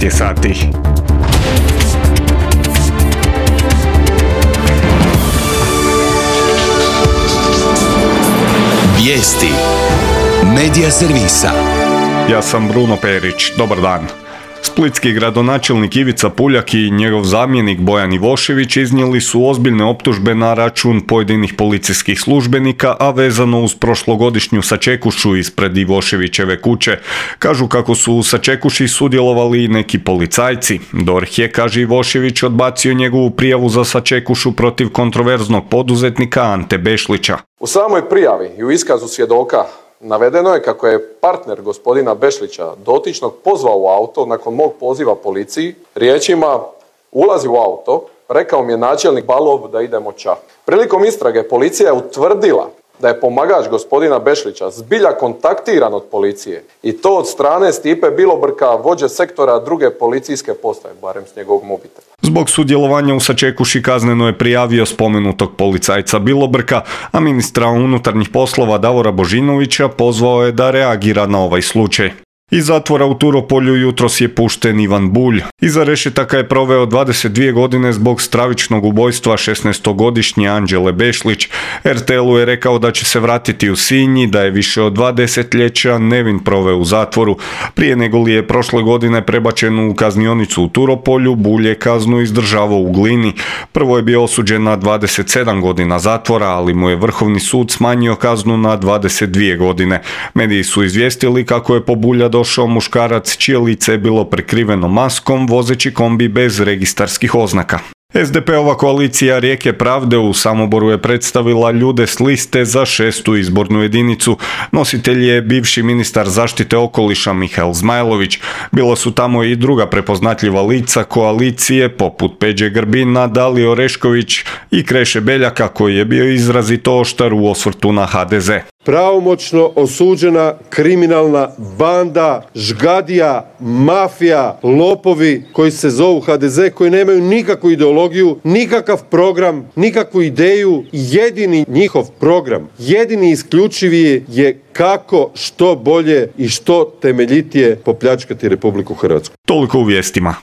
12 je sati. Vijesti Medija servisa. Ja sam Bruno Perić, dobar dan. Splitski gradonačelnik Ivica Puljak i njegov zamjenik Bojan Ivošević iznijeli su ozbiljne optužbe na račun pojedinih policijskih službenika, a vezano uz prošlogodišnju sačekušu ispred Ivoševićeve kuće. Kažu kako su u sačekuši sudjelovali i neki policajci. DORH je, kaže Ivošević, odbacio njegovu prijavu za sačekušu protiv kontroverznog poduzetnika Ante Bešlića. U samoj prijavi i u iskazu svjedoka navedeno je kako je partner gospodina Bešlića dotičnog pozvao u auto nakon mog poziva policiji riječima "ulazi u auto, rekao mi je načelnik Balov da idemo ča". Prilikom istrage policija je utvrdila da je pomagač gospodina Bešlića zbilja kontaktiran od policije i to od strane Stipe Bilobrka, vođe sektora druge policijske postaje, barem s njegovog mobitela. Zbog sudjelovanja u sačekuši kazneno je prijavio spomenutog policajca Bilobrka, a ministra unutarnjih poslova Davora Božinovića pozvao je da reagira na ovaj slučaj. Iz zatvora u Turopolju jutros je pušten Ivan Bulj. Iza rešetaka je proveo 22 godine zbog stravičnog ubojstva 16-godišnje Anđele Bešlić. RTL-u je rekao da će se vratiti u Sinj, da je više od 2 desetljeća nevin proveo u zatvoru. Prije nego li je prošle godine prebačen u kaznionicu u Turopolju, Bulj je kaznu izdržavao u Glini. Prvo je bio osuđen na 27 godina zatvora, ali mu je Vrhovni sud smanjio kaznu na 22 godine. Mediji su izvijestili kako je po Bulja došao muškarac čije lice je bilo prekriveno maskom, vozeći kombi bez registarskih oznaka. SDP-ova koalicija Rijeke pravde u Samoboru je predstavila ljude s liste za 6. izbornu jedinicu. Nositelj je bivši ministar zaštite okoliša Mihael Zmajlović. Bila su tamo i druga prepoznatljiva lica koalicije poput Peđe Grbina, Dalije Orešković i Kreše Beljaka, koji je bio izrazito oštar u osvrtu na HDZ. Pravomoćno osuđena kriminalna banda, žgadija, mafija, lopovi koji se zovu HDZ, koji nemaju nikakvu ideologiju, nikakav program, nikakvu ideju. Jedini njihov program, jedini isključivi je kako što bolje i što temeljitije popljačkati Republiku Hrvatsku. Toliko u vijestima.